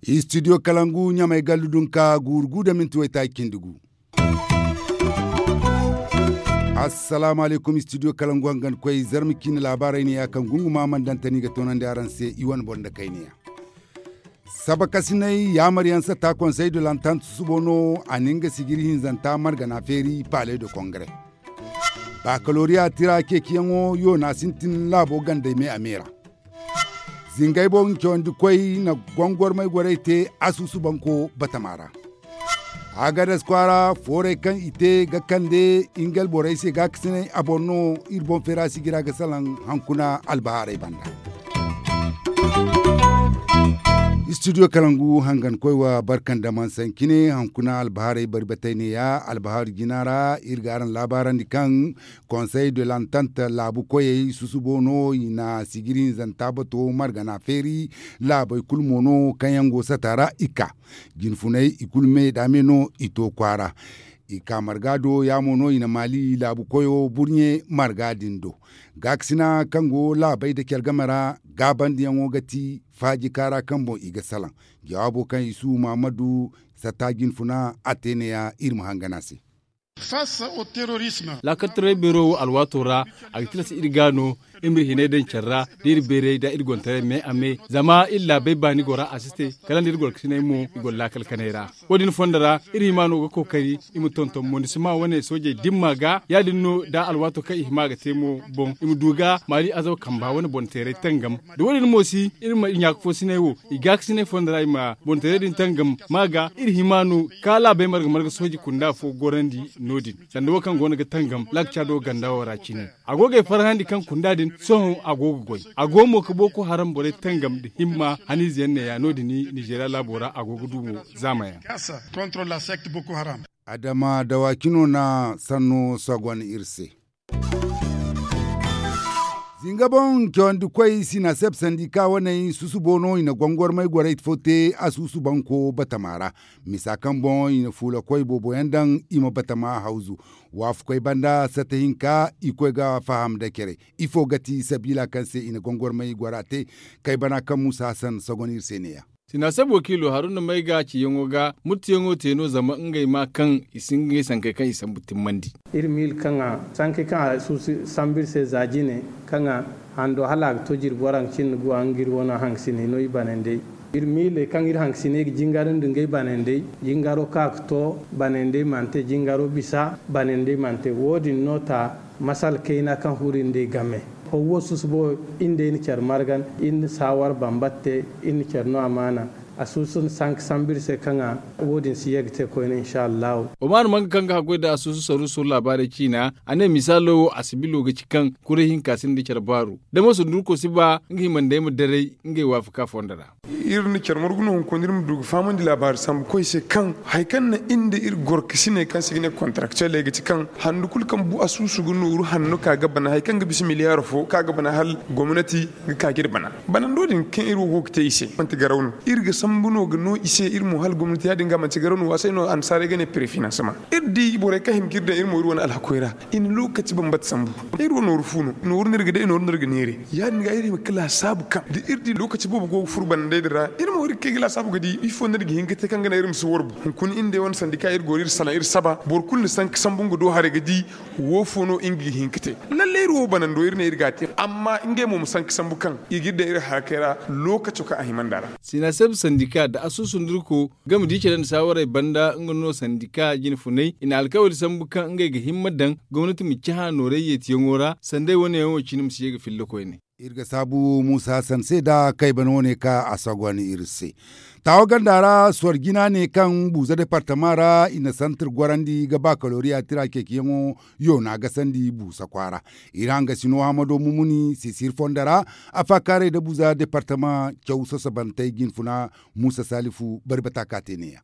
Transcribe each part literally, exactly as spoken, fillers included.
Istidiyo kalangu ɲamay gallu dunka guuru gu da minti waytaaci cindi gu. Assalaamu alaykum, istidiyo kalangu hangan koy zarma ciine laabaarey ne ya kaŋ gunguma mandantani ga toonandi araŋ se i wane boro nda kayna yaŋ. Sabakasinay yaamaryaŋ satta konsey de lantant susubo no a na nga sijiri hinzanta margana feeri palais de kongre. Bakaloriya tira ceeciyaŋo yoona sintin laabo gandey me a me ra. Zingay boŋ cawandi koy na gongormay gorey te asusu banko batama ra. Agadas kwaara foorey kaŋ i te ga kande nga alborey se gaakasinay a boŋ no. Iri boŋ feera sijira ga salaŋ hankuna albahaarey banda. Istidiyo kalangu hangan koy wa barkan da mansaŋ cine hankuna albahaarey bari batay ne ya albahaari jina ra iri ga araŋ laabaarandi kaŋ konsey de lantant laabu koyey susubo no i na sijiri hinzanta bato margana feeri. Laabey kulu mo no kaŋ yaŋ go sata ra i ka jinfuney i kulu me da me no i to kwaara. I ka marga do ya mo no i na maali laabu koyo burɲe marga din do. Gaakasina kaŋ go laabey da care game ra gaabandiyaŋo ga ti faaji kaara kaŋ boŋ i ga salaŋ. Jawaabo kaŋ isu mahamadu satta jinfuna a te ne ya iri ma hangan a se. Laakal taray beero wo alwaato ra a ga tilas iri ga no iri ma iri hinay daŋ care ra da iri bayray da iri gontaray me a me zama iri laabey baani go ra a si te kala nda iri gorkasinay mo i goro laakal kanay ra. Wo- din fondo ra iri hima no ga kookari i ma tonton monisima wane soojey dimma ga ya- din no da alwaato kaŋ i hima ga te mo boŋ i ma du ga maali azaba kamba wane boŋ teeray tangam. Da wo- din mo si iri ma ɲaaka foosinay wo i gaakasinay fondo ra i ma boŋ teeray din tangam ma ga iri hima no ka laabey marga marga sooji kunda fo gorandi no- din sanda wo kaŋ go no ga tangam laakca do ganda wo ra cine. A go ga ay farhandi kaŋ kunda din sohõ a go ga goy a go mo ga boko haram borey tangam nda himma haniize yaŋ ne ya no- din nizeeriya laabo ra a go ga du mo zaama yaŋ. Adama dawaaki no na sanno sogon iri se. Zinga boŋ cawandi koy sinaseb sandika waney susubo no i na gongormay gorey fo te asusu banko batama ra. Misa kaŋ boŋ i na fuula koy boobo yaŋ daŋ i ma batama hawzu. Waafakoy banda sata hinka i koy ga faham da care. Ifo ga ti sabiila kaŋ se i na gongormay gora te? Kay bana kaŋ muusa hasan sogon iri se ne- ya. Sinaseb wakiilo haruna may ga ciyaŋo ga murtiyaŋo te no zama ngey ma kaŋ i si ngey sankey kaŋ i sambu timmandi. Iri miila kaŋ a sankey kaŋ a suusi sambu iri se za jine kaŋ a hando hala a ga to jirbi waranka cindi gu a nga iri wane hangasiney no i banandey. Iri miiley kaŋ iri hangasiney ga jingar nda ngey banandey jingaro kaŋ a ga to banandey mana te jingaro bisa banandey mana te wo- din no ta masala kayna kaŋ furo iri nd'ey game. Haw wo susubo iri nd'ey na care margan iri na saawar bambata te iri na care no amaana. Asuusu na sanka sambu iri se kaŋ a wo- din si ye ga te koyne insha allahu. Omar manga kaŋ ga haggoy nda asuusu saruuso laabaarey ciina a ne misaalo wo asibilo ga ci kaŋ kuray hinka sinda care baaru da mo sundurko si ba nga hima nda ay ma daray ngey waafaka fondo ra. Iri na care margu no hunkuna iri ma du ga fahamandi laabaari sambu koy se kaŋ hari kaŋ na iri nda iri gorkasiney kaŋ se i ga ne kontarakteley ga ti kaŋ handu kulu kaŋ bu asuusu ga nooru hanno ka ga bana hari kaŋ ga bisa miliyaar fo ka ga bana hala gomnati ga ka ga iri bana. Banando din kaŋ iri wo go ga te i se manti garaw no. Iri ga sambu no ga no i se iri mo hala gomnati ya- din ga manti garaw no waasay no annasaarey ga ne prefinanseman. Iri di borey kaŋ hima ga iri daŋ iri mo iri wane alhakoy ra i na lokaci bambata sambu. Iri wo nooru fu no nooru no iri ga day nooru no iri ga neere. Ya- din ga iri hima ga laasaabu kaŋ da iri di lokaci boobo go ga furo banandey din ra iri mo iri ga kay ga laasaabu ga di ifo no iri ga hin ga te kaŋ ga naŋ iri ma si warbu hunkuna iri nd'ey wane sandika iri go iri salaŋ iri saba boro kulu na sanka sambu nga do haray ga di. Wo fo no nga ga hin ga te lalle iri wo banando iri ne iri ga a te amma ngey mo ma sanka sambu kaŋ i ga iri daŋ iri harakey ra. Lookaco kaŋ a hima nd'a ra. Sinaseb sandika nda asuusu nda irko game da i care nda saawarey banda nga no sandika jine funay i na alkawali sambu kaŋ ngey ga himma daŋ gomnati ma cahã nooray yeetiyaŋo ra sanda ay wane yaŋ wo cine ma si ye ga filla koyne. Iri ga saabu muusa hasan se nda kay bana wane ka a sagon iri se. Taawa ganda ra sor jina ne kaŋ buuza departama ra i na santir gorandi ga bakaloriya tira ceeciyaŋo yoona gasandi buusa kwaara. Iri hangasino hamado mumuni sisir fondo ra a faakaaray nda buuza departama caw sosobantey jinfuna muusa salifu bari bata ka te ne- ya.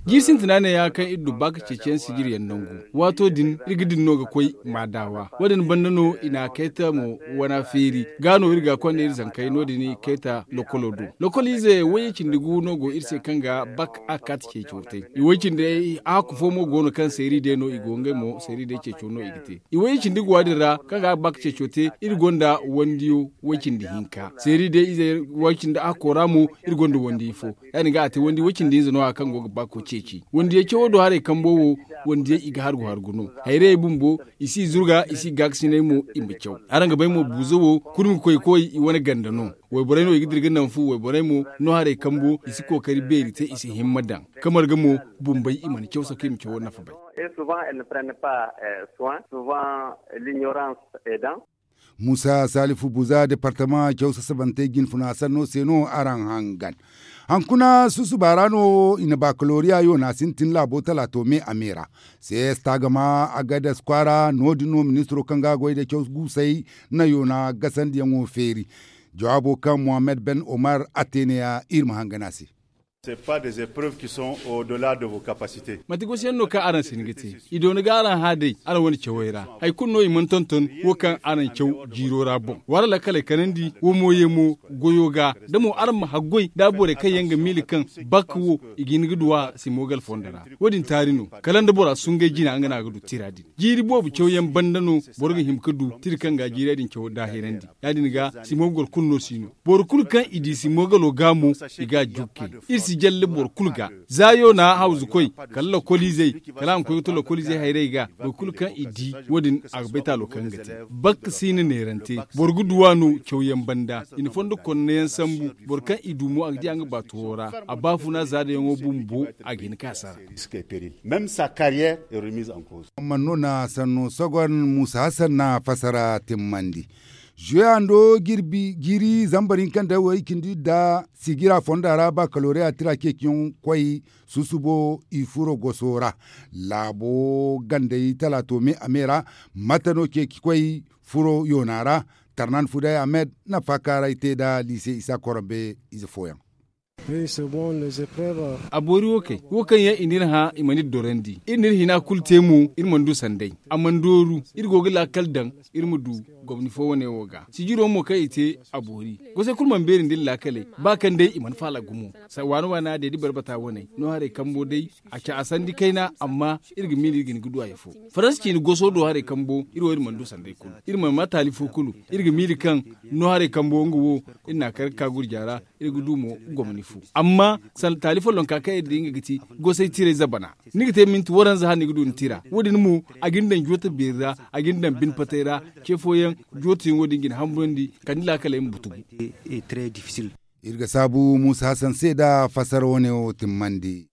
Jiiri sintina neeya kaŋ iri du baaka ceeciyaŋ sijiryaŋ nangu. Waato din iri ga din no ga koy maadaawa. Wo- din banda no i na kayta mo wana feeri. Ga no iri ga konda iri zankey no- din i kayta lokolo do. Lokoliize wayye cindi gu no go iri se kaŋ ga bak a ga kaati ceeco te. I way cindi hakku fo mo go no kaŋ seeri day no i go ngey mo seeri day ceeco no i ga te. I wayye cindi guwa din ra kaŋ ga bak ceeco te. Iri gonda wandiyo way cindi hinka seeri day ize way cindi hakko ra mo. Iri gonda wandiyo fo. Ya- din ga a te wandi way cindi hinza no- ya kaŋ go ga bako ceeci. Wandiyey cawo do haray kambo wo. Wandiyey i ga hargu hargu no. Hayrayey bumbo i si zurga i si gaakasinay mo. I ma caw araŋ ga bay mo buuzo wo kurmi koy koy i wane ganda no. Wayborey no i ga dira ga naŋ fu wayborey mo no haray kambo i si kookari beeri te i si himma daŋ. Kamar ga mo bumbey i mana caw sako i ma cawo nafa bay. Muusa salifu buza departama caw sasabantey jinfuna sanno se no araŋ hangan. Hankuna susuba ra no i na bakaloriya yoona sintin laabo talaato me a me ra. Ces tagama agadas kwaara no- din no ministiro kaŋ ga goy nda caw guusey na yoona gasandiyaŋo feeri. Jawaabo kaŋ mohammed ben omar a te neeya iri ma hangan a se. Manti gosi yaŋ no kaŋ araŋ si hin ga te. I doona ga araŋ hã day araŋ wane cawey ra. Hari kulu no i mana tonton wo kaŋ araŋ caw jiiro ra boŋ wala lakkaley kanandi wo mo ye mo goyo ga da mo araŋ ma haggoy da borey kaŋ yaŋ ga miila kaŋ bakka wo i ga hin ga du a simogal fondo ra. Wo- din taari no kala nda bora sungay jina nga no a ga du tira din. Jiiri boobo cawyaŋ banda no boro ga hima ga du tira kaŋ ga jiirey din caw daahirandi. Ya- din ga simogol kulu no si no. Boro kulu kaŋ i di simogalo ga mo i ga a jukke. Iri si jalle boro kulu ga za yoona hawzu koy kala lokoliizey kala a ma koy ga to lokoliizey hayrey ga. Boro kulu kaŋ i di wo- din a ga bay taalo kaŋ ga te. Bakka si na neerante boro ga duw'a no cawyaŋ banda i na fondo konneyaŋ sambu. Boro kaŋ i du mo a ga di a nga baatuwo ra. A baafuna zaadayaŋo bumbo a ga hin ka sara. Amma no na sanno sogon muusa hasan na fasara timmandi. Zuweyando jiiri zambar hinka nda way cindi nda sigira fonda ra bakaloriya tira ceeciyaŋ koy susubo i furo goso ra. Laabo gandey talaato me a me ra mate no ceeci koy furo yoona ra. Tarnan fuday ahmed na faakaaray te nda liise isa koronbe ize fooyaŋ. A boori wo kay wo kaŋ yaŋ i n'iri hã i mana iri dorandi iri n'iri hina kulu te mo. Iri mana du sanday a mana dooru. Iri go ga laakal daŋ iri ma du gomni fo wane wo ga sijiro mo kaŋ i te. A boori gosey kulu mana beeri nda iri laakaley ba kaŋ day i mana faala gumo. Waana waana day da barbata wane no haray kambo day a ca a sandi kayna amma iri ga miila iri ga hin ga du haya fo. Faransa ciine goso do haray kambo iri wo iri mana du sanday kulu iri mana ma taali fo kulu. Iri ga miila kaŋ no haray kambo nga wo iri n'a kar ga ka gurja ra. Iri ga du mo gomni fu amma taali follonka kaŋ iri di nga ga ti gosay tiray zabana. Ni ga te minti waranza hala ni ga du ni tira wo- din mo a ga ni daŋ jooto beeri ra. A ga ni daŋ bine patay ra ce fooyaŋ jootoyaŋo din ga ni hamburandi kala ni laakaley ma butugu. Iri ga saabu muusa hasan se nda fassara wane wo timmandi.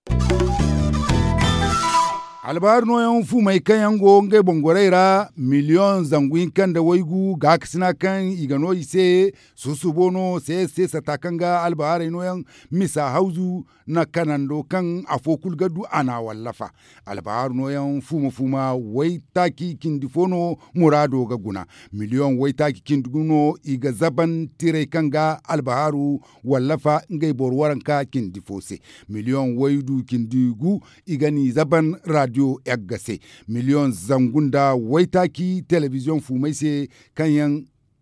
Albahaaru nooyaŋ fumey kaŋ yaŋ go ngey boŋ gorey ra miliyoŋ zangu hinka nda waygu gaakasina kaŋ i ga no i se. Susubo no se se sata kaŋ ga albahaarey nooyaŋ misa hawzu na kanando kaŋ afo kulu ga du a n'a wallafa. Albahaaru nooyaŋ fuuma fuuma waytaaci cindi fo no muraado ga guna. Miliyoŋ waytaaci cindi gu no i ga zaban tirey kaŋ ga albahaaru wallafa ngey boro waranka cindi fo se. Miliyoŋ waydu cindi gu i ga n'i zaban raadiyo egga se. Miliyoŋ zangu nda waytaaci telebiziyoŋ fuumey se kaŋ yaŋ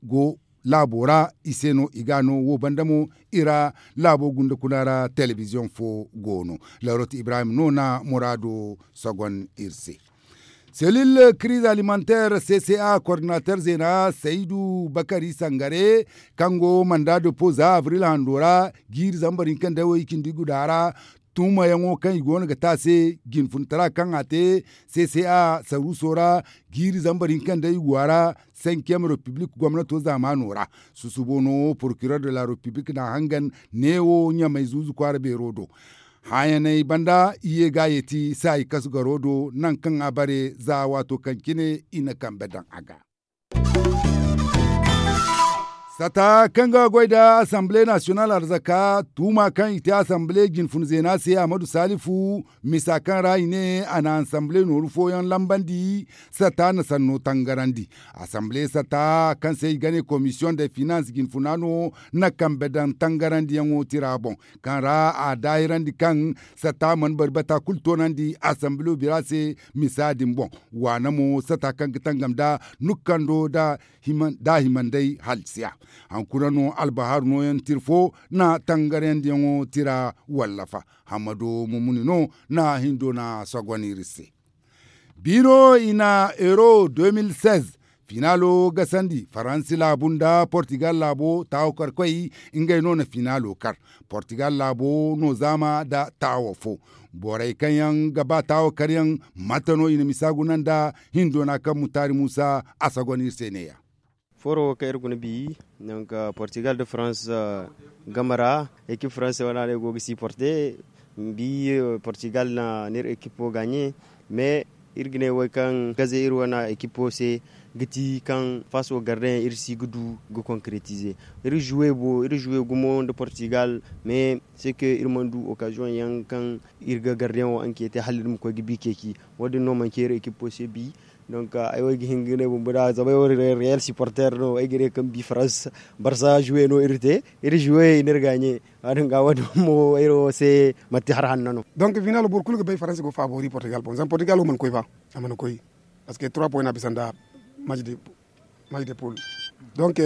go laabo ra i se no i ga a no wo banda mo i ra. Laabo gunda kuna ra telebiziyoŋ fo go no. Larot ibrahim no na muraado sogon iri se. Selil kiriz alimanteer c c a koordinateer zeena saydu bakari sangare kaŋ go manda depo za abril hando ra jiiri zambar hinka nda way cindi guda ra. Tumayaŋo kaŋ i go no ga te a se jinfunitara kaŋ a te c c a saruuso ra jiiri zambar hinka nda igu a ra. Cinquième république gomnato zaamaano ra susubo no procureur de la république na hangan neewo ɲamay zuuzu kwaara beero do. Hãyaney banda i ye ga a yeeti saayi kasu garo do naŋ kaŋ a bare za waato kaŋ cine i na kambe daŋ a ga. Sata kaŋ ga goy nda asamble nasiyonal arzaka tuuma kaŋ i te asamble jinfun zeena se, ahmadu salifu, misa kaŋ ra i ne a na asamble nooru fooyaŋ lambandi. Sata na sanno tangarandi. Asamble sata kaŋ se i ga ne komisiyoŋ de finans jinfuna no na kambe daŋ tangarandiyaŋo tira boŋ, kaŋ ra a daahirandi kaŋ sata mana bari bata kulu toonandi asamble bira se. Misa din boŋ waana mo sata kaŋ ga tangam nda nukkando nda himandey halsiya. Hankuna no albahaaru nooyaŋ tira fo na tangarandiyaŋo tira wallafa. Hammado mumuni no na hindo na sogon iri se. Biino i na euro deux mille seize finaalo gasandi faransi laabu nda portugal laabo taawo karkoy. Ngey no na finaalo kar. Portugal laabo no zaama nda taawo fo. Borey kaŋ yaŋ ga ba taawo karyaŋ mate no i na misa guna nda hindoona kaŋ mutaari muusa a sagon iri se neeya. Fooro wo kaŋ iri guna bi, donc portugal nda farans game ra, ekip faranse wane no i go ga siporte. Bi portugal na ni iri ekipo gaaɲe. Mais iri ga ne wo kaŋ gaze iri wane ekipo se ga ti kaŋ faaso garde yaŋ iri si ga du ga konkretize. Iri zuwe bo iri zuwe gumo nda portugal. Mais se ke iri mana du okaziyoŋ yaŋ kaŋ iri ga garde yaŋ wo ankete hala iri ma koy ga bi ceeci. Wo- din no manci iri ekipo se bi. Donc ay wo ay ga hin ga ne bumbo da zama ay wo reyal siporter no ay ga ne kaŋ bi farans. Barsa zuwe no iri te iri zuwe i na iri gaaɲe. Wo- din ga wo- din mo iri wo se manti hari hanno no. Donc final boro kulu ga bay faransa go faabori portugal boŋ zama portugal wo mana koy ba. A mana koy. Parce que trois point no a bisa nda match de poule. Donc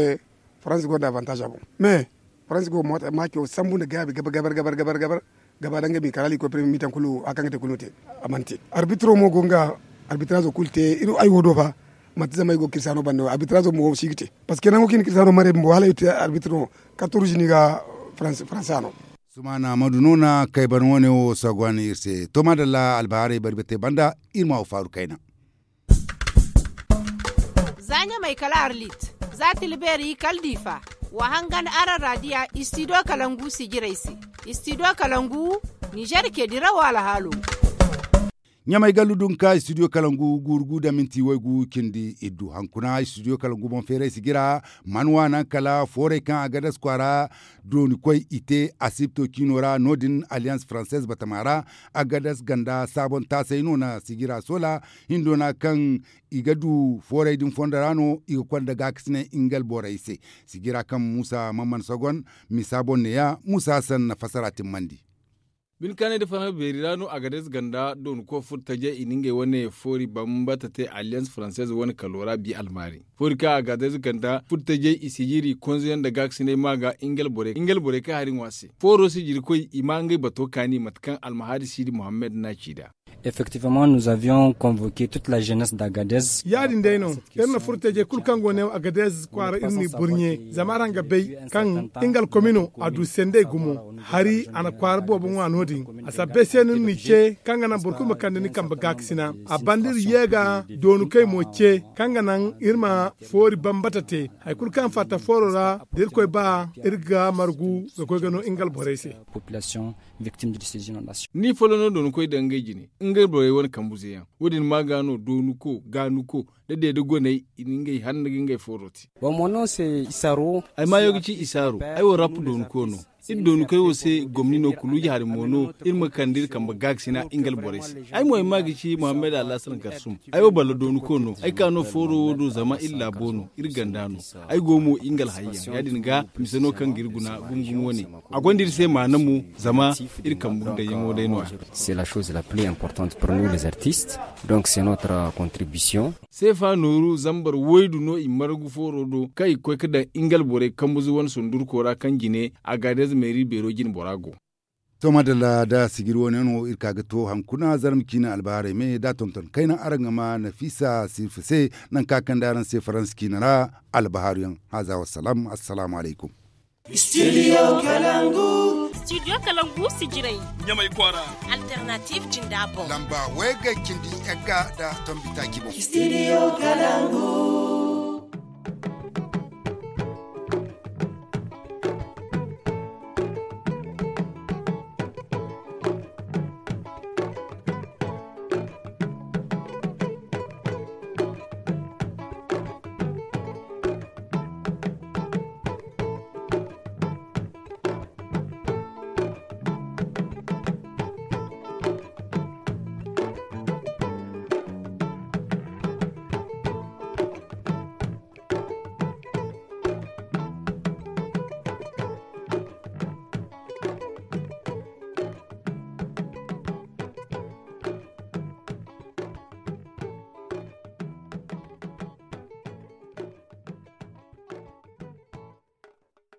faransa gonda avantage a boŋ. Mais faransa go maaco sambu nda gaabi gabar gabar gabar gabar. Gaba da nga mi kala iri koy premier mitan kulu hari kaŋ ga te kulu no te. A mana te. Arbitro mo go nga arbitrazoo kulu te. Ay wo do fa manti zama ay go ga kirisano banda wo arbitrazoo mo si ga te. Parce que nango kaŋ i na kirisano maray bumbo hala i te arbitro no. Karto ruzi no i ga faransa no. Sumaana madu no na kay ban wane wo sagwan iri se to maadalla albahaarey bari bate banda. Iri ma wo faaru kayna. Za ɲamay kala arlit, za tilbeeri kala diifa. Wa hangan araŋ raadiya istidiyo kalangu sijirey se. Istidiyo kalangu ninzeer ce dirawo alhaalo. Ɲamay gallu dunka istidiyo kalangu guuru gu nda minti waygu cindi iddu hankuna istidiyo kalangu boŋ feeray sijira. Man waanaŋ kala fooray kaŋ a ga dasu kwaara dooni koy i te asibto ciino ra no- din alliance française batama ra. A ga dasu ganda saabon taasay no na sijira soola hindoona kaŋ i ga du fooray din fondo ra no i ga konda gaakasinay nga alborey se. Sijira kaŋ muusa man mana sogon misa boŋ neeya muusa hassan na fassara timmandi. Bine kaanay nda farhã beeri ra no a ga day ze ganda doonako furtajey i na ngey wane foori bambata te alliance française wane kalo ra bi almaari foori kaŋ a ga day ze ganda furtajey i sijiri konzeyaŋ nda gaakasinay ma ga nga alborey kaŋ hari ŋwa se fooro sijirikoy i ma ngey bato kaani mate kaŋ almahaari siidi mohammed na ci nd'a. Effectivement nous avions convoke toute la jeunesse d'agades. Ya- din day no iri na furtajey kulu kaŋ go ne agadez kwaara iri n'i burɲe zama araŋ ga bay kaŋ nga alkomino a du sendey gumo. Hari a na kwaara boobo ŋwa no- din a sabbay se no iri n'i ce kaŋ ga naŋ boro kulu ma kande ni kambe gaakasina. A banda iri ye ga doonukey mo ce kaŋ ga naŋ iri ma foori bambata te. Hari kulu kaŋ fatta fooro ra da irkoy ba iri ga margu ga koy ga no nga alborey se. Population victime de ces inondations. Ni folloŋ no doonukey daŋ ngey jine nga alborey wane kambuze yaŋ. Wo- din ma ga no doonuko gaanuko da deeda goney i na ngey hanna ga ngey fooro te. Ay maayo ga ci isaaro ay wo rap doonuko no. Iri doonukey wo se gomni no kuluuji hari mo no iri ma kande iri kambe gaakasina nga alborey se. Ay mo ay ma ga ci mohammed alhasan garsum. Ay wo balla doonuko no ay ka no fooro wo do zama iri laabo no iri ganda no. Ay go mo nga alhayyaŋ ya- din ga mise no kaŋ ga iri guna gumo gumo wane. A gonda iri se maana mo zama iri kambu dayaŋo day no- ya. C'est la chose la plus importante pour nous les artistes. Donc c'est notre contribution. Seefa nooru zambar waydu no i margu fooro do kaŋ i ga koy ga daŋ nga alborey kambuze wane sundurko ra kaŋ jine agadez meeri beero jine bora go. To maadalla da sijiri wane no iri ka ga to hankuna zarma ciine albahaarey me da tonton kayna araŋ ga ma nafiisa sirfa se. Nangu kaŋ a kande araŋ se faransa ciine ra albahaaru yaŋ. Haaza wassalam. Assalaamu alaykum. Studio kalangu. Studio kalangu sijirey. Ɲamay kwaara. Alternative jinda boŋ lamba way ga cindi yagga nda tombi taaci boŋ. Studio kalangu.